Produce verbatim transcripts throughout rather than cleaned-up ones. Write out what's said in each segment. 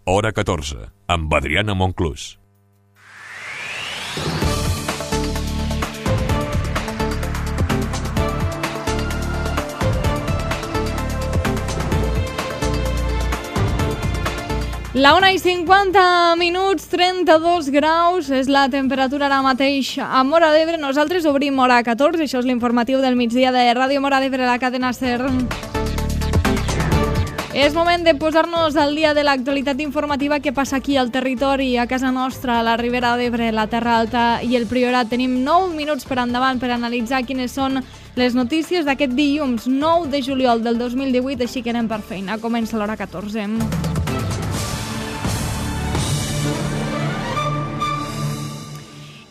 Hora catorze, amb Adriana Monclús. La una i cinquanta minuts, trenta-dos graus, és la temperatura ara mateix a Móra d'Ebre. Nosaltres obrim hora catorze, això és l'informatiu del migdia de Ràdio Móra d'Ebre, la cadena SER. És moment de posar-nos al dia de l'actualitat informativa que passa aquí al territori, a casa nostra, a la Ribera d'Ebre, la Terra Alta i el Priorat. Tenim nou minuts per endavant per analitzar quines són les notícies d'aquest dilluns nou de juliol del dos mil divuit, així que anem per feina. Comença l'hora catorze.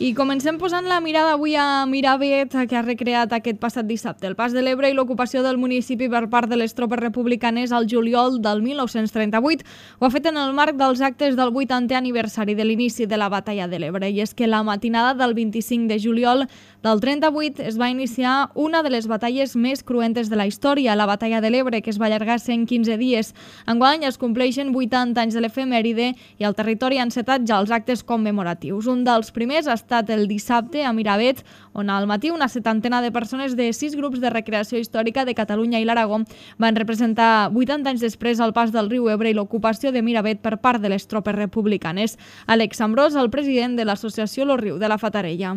I comencem posant la mirada avui a Miravet, que ha recreat aquest passat dissabte el Pas de l'Ebre i l'ocupació del municipi per part de les tropes republicanes al juliol del mil nou-cents trenta-vuit. Ho ha fet en el marc dels actes del vuitantè aniversari de l'inici de la batalla de l'Ebre. I és que la matinada del vint-i-cinc de juliol del trenta-vuit es va iniciar una de les batalles més cruentes de la història, la batalla de l'Ebre, que es va allargar cent quinze dies. Enguany es compleixen vuitanta anys de l'efemèride i al territori han encetat ja els actes commemoratius. Un dels primers ha estat el dissabte a Miravet, on al matí una setantena de persones de sis grups de recreació històrica de Catalunya i l'Aragó van representar vuitanta anys després el pas del riu Ebre i l'ocupació de Miravet per part de les tropes republicanes. Àlex Ambrós, el president de l'associació Lo Riu de la Fatarella.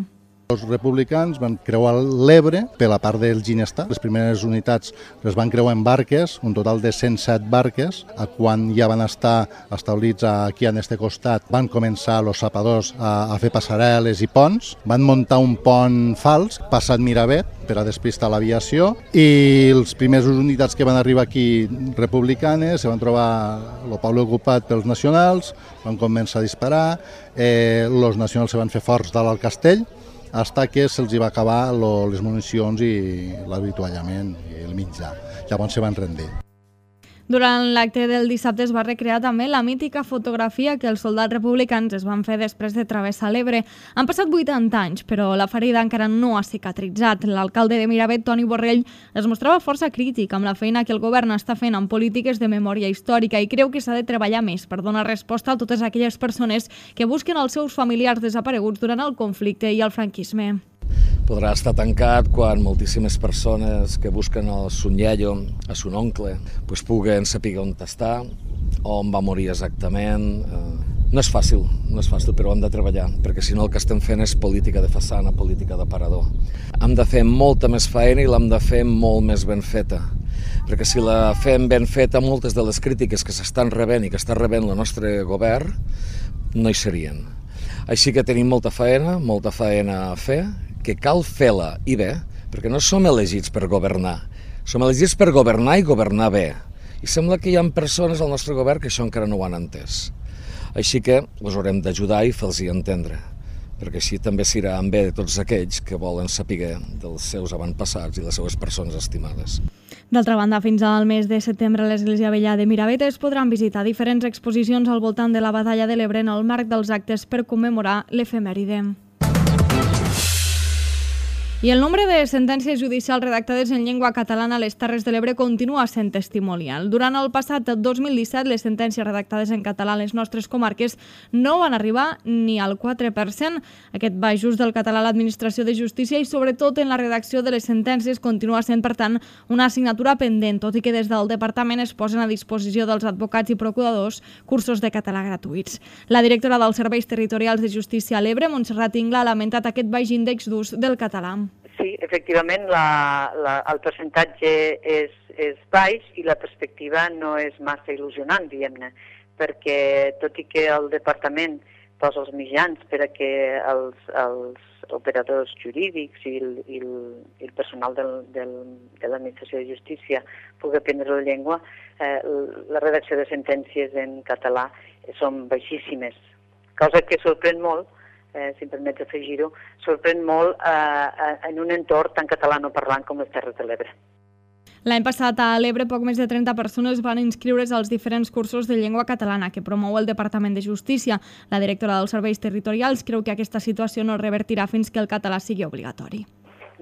Els republicans van creuar l'Ebre per la part del Ginestar. Les primeres unitats les van creuar en barques, un total de cent set barques. Quan ja van estar establits aquí en este costat, van començar els sapadors a, a fer passarel·les i ponts. Van muntar un pont fals, passat Miravet, per a despistar l'aviació, i les primeres unitats que van arribar aquí republicanes se van trobar el poble ocupat pels nacionals, van començar a disparar, eh, els nacionals se van fer forts dalt al castell, fins que se'ls va acabar lo, les municions i l'avituallament i el mitjà. Llavors se van rendir. Durant l'acte del dissabte es va recrear també la mítica fotografia que els soldats republicans es van fer després de travessar l'Ebre. Han passat vuitanta anys, però la ferida encara no ha cicatritzat. L'alcalde de Miravet, Toni Borrell, es mostrava força crític amb la feina que el govern està fent en polítiques de memòria històrica i creu que s'ha de treballar més per donar resposta a totes aquelles persones que busquen els seus familiars desapareguts durant el conflicte i el franquisme. Podrà estar tancat quan moltíssimes persones que busquen el son iaio, a son oncle, pues puguen saber on està, on va morir exactament. No és fàcil, no és fàcil, però hem de treballar, perquè si no el que estem fent és política de façana, política d'aparador. Hem de fer molta més feina i l'hem de fer molt més ben feta, perquè si la fem ben feta, moltes de les crítiques que s'estan rebent i que està rebent el nostre govern no hi serien. Així que tenim molta feina, molta feina a fer, que cal fer-la i bé, perquè no som elegits per governar, som elegits per governar i governar bé. I sembla que hi ha persones al nostre govern que això encara no ho han entès. Així que us haurem d'ajudar i fer-los entendre, perquè així també serà en bé de tots aquells que volen saber dels seus avantpassats i les seues persones estimades. D'altra banda, fins al mes de setembre a l'Església Vella de Miravet es podran visitar diferents exposicions al voltant de la batalla de l'Ebre en el marc dels actes per commemorar l'efemèride. I el nombre de sentències judicials redactades en llengua catalana a les Terres de l'Ebre continua sent testimonial. Durant el passat dos mil disset, les sentències redactades en català a les nostres comarques no van arribar ni al quatre per cent. Aquest baix ús del català a l'administració de justícia i sobretot en la redacció de les sentències continua sent, per tant, una assignatura pendent, tot i que des del departament es posen a disposició dels advocats i procuradors cursos de català gratuïts. La directora dels Serveis Territorials de Justícia a l'Ebre, Montserrat Ingla, ha lamentat aquest baix índex d'ús del català. Sí, efectivament, la, la, el percentatge és, és baix i la perspectiva no és massa il·lusionant, diguem-ne, perquè tot i que el departament posa els mitjans per a que els, els operadors jurídics i el, i el, i el personal del, del, de l'administració de justícia pugui aprendre la llengua, eh, la redacció de sentències en català són baixíssimes, cosa que sorprèn molt. Eh, si em permets afegir-ho, sorprèn molt eh, en un entorn tan catalanoparlant com les Terres de l'Ebre. L'any passat a l'Ebre poc més de trenta persones van inscriure's als diferents cursos de llengua catalana que promou el Departament de Justícia. La directora dels Serveis Territorials creu que aquesta situació no revertirà fins que el català sigui obligatori.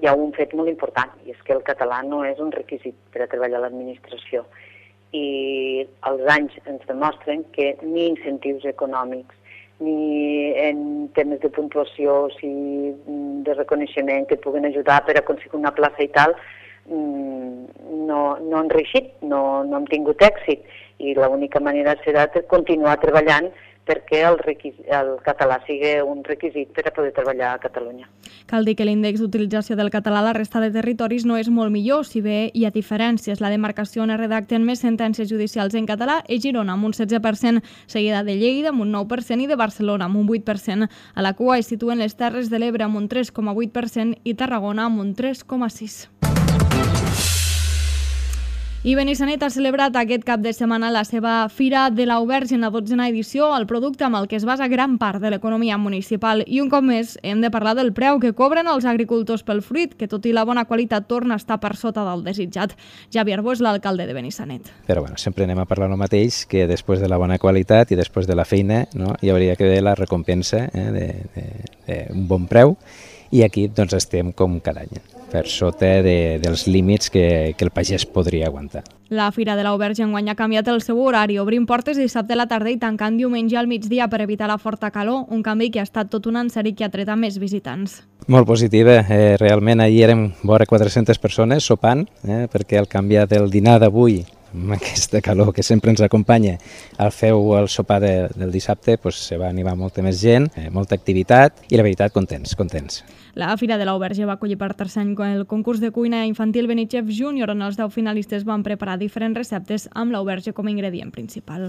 Hi ha un fet molt important, i és que el català no és un requisit per a treballar a l'administració. i els anys ens demostren que ni incentius econòmics, ni en temes de puntuació, si de reconeixement que puguen ajudar per aconseguir una plaça i tal, no, no han reeixit, no, no hem tingut èxit, i l'única manera serà continuar treballant perquè el, el català sigui un requisit per a poder treballar a Catalunya. Cal dir que l'índex d'utilització del català a la resta de territoris no és molt millor, si bé hi ha diferències. La demarcació on es redacten més sentències judicials en català és Girona, amb un setze per cent, seguida de Lleida, amb un nou per cent, i de Barcelona, amb un vuit per cent. A la cua es situen les Terres de l'Ebre, amb un tres coma vuit per cent, i Tarragona, amb un tres coma sis per cent. I Benissanet ha celebrat aquest cap de setmana la seva Fira de l'Auberge en la dotzena edició, el producte amb el que es basa gran part de l'economia municipal. I un cop més hem de parlar del preu que cobren els agricultors pel fruit, que tot i la bona qualitat torna a estar per sota del desitjat. Javi Arbó és l'alcalde de Benissanet. Però bueno, sempre anem a parlar el mateix, que després de la bona qualitat i després de la feina, no, hi hauria que haver la recompensa eh, d'un bon preu, i aquí doncs, estem com cada any, per sota de, dels límits que, que el pagès podria aguantar. La Fira de l'Auberge enguany ha canviat el seu horari, obrint portes dissabte a la tarda i tancant diumenge al migdia per evitar la forta calor, un canvi que ha estat tot un encert que ha tret a més visitants. Molt positiva, eh, realment ahir érem vora quatre-centes persones sopant, eh, perquè al canviar del dinar d'avui, amb aquesta calor que sempre ens acompanya, al feu el sopar de, del dissabte, doncs, se va animar molta més gent, eh, molta activitat, i la veritat, contents, contents. La Fira de l'Auberge va acollir per tercer any el concurs de cuina infantil Benichef Júnior, on els deu finalistes van preparar diferents receptes amb l'auberge com a ingredient principal.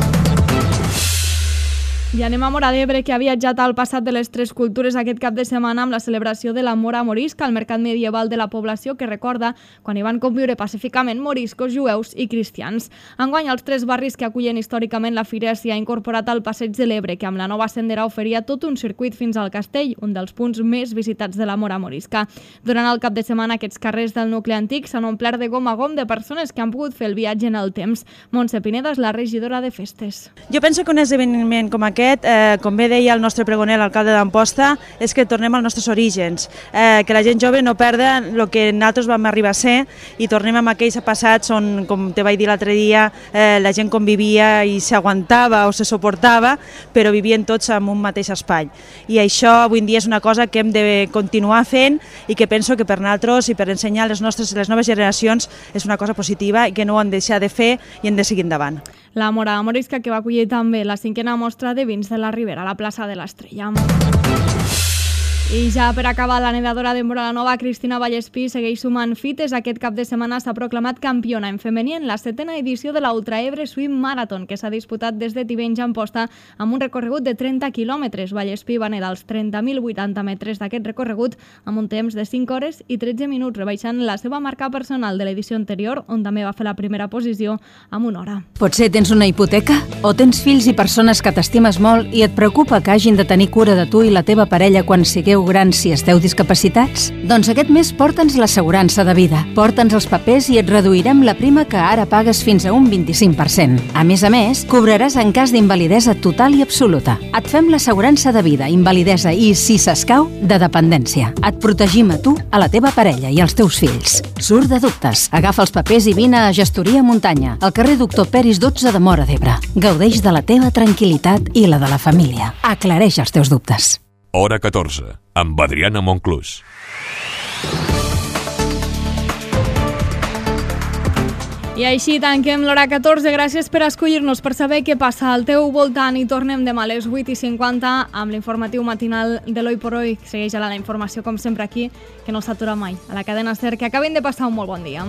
I anem a Móra d'Ebre, que ha viatjat al passat de les tres cultures aquest cap de setmana amb la celebració de la Mora Morisca, el mercat medieval de la població que recorda quan hi van conviure pacíficament moriscos, jueus i cristians. Enguany, els tres barris que acullen històricament la fira s'hi ha incorporat al Passeig de l'Ebre, que amb la nova sendera oferia tot un circuit fins al castell, un dels punts més visitats de la Mora Morisca. Durant el cap de setmana, aquests carrers del nucli antic s'han omplert de gom a gom de persones que han pogut fer el viatge en el temps. Montse Pineda és la regidora de festes. Jo penso que un esdeveniment com aquest, eh, com bé deia el nostre pregoner, l'alcalde d'Amposta, és que tornem als nostres orígens, eh, que la gent jove no perda el que nosaltres vam arribar a ser i tornem amb aquells passats on, com te vaig dir l'altre dia, eh, la gent convivia i s'aguantava o se suportava, però vivien tots en un mateix espai. I això avui en dia és una cosa que hem de continuar fent i que penso que per nosaltres i per ensenyar les nostres les noves generacions és una cosa positiva i que no ho hem de deixar de fer i hem de seguir endavant. La Mora Morisca, que va acollir també la cinquena mostra de vins de la Ribera a la plaça de l'Estrella. I ja per acabar, la nedadora de Móra la Nova, Cristina Vallespí, segueix sumant fites. Aquest cap de setmana s'ha proclamat campiona en femení en la setena edició de la Ultra Ebre Swim Marathon, que s'ha disputat des de Tivenys a Amposta amb un recorregut de trenta quilòmetres. Vallespí va nedar els trenta mil vuitanta metres d'aquest recorregut amb un temps de cinc hores i tretze minuts, rebaixant la seva marca personal de l'edició anterior, on també va fer la primera posició amb una hora. Potser tens una hipoteca? O tens fills i persones que t'estimes molt i et preocupa que hagin de tenir cura de tu i la teva parella quan sigueu grans si esteu discapacitats? Doncs aquest mes porta'ns l'assegurança de vida. Porta'ns els papers i et reduirem la prima que ara pagues fins a un vint-i-cinc per cent. A més a més, cobraràs en cas d'invalidesa total i absoluta. Et fem l'assegurança de vida, invalidesa i, si s'escau, de dependència. Et protegim a tu, a la teva parella i als teus fills. Surt de dubtes. Agafa els papers i vine a Gestoria Muntanya, al carrer Doctor Peris dotze de Móra d'Ebre. Gaudeix de la teva tranquil·litat i la de la família. Aclareix els teus dubtes. Hora catorze, amb Adriana Monclús. I així tanquem l'hora catorze. Gràcies per escollir-nos, per saber què passa al teu voltant, i tornem demà a les vuit i cinquanta amb l'informatiu matinal de l'Hoy por Hoy. Segueix a la informació com sempre aquí, que no s'atura mai, a la cadena SER. Que acabin de passar un molt bon dia.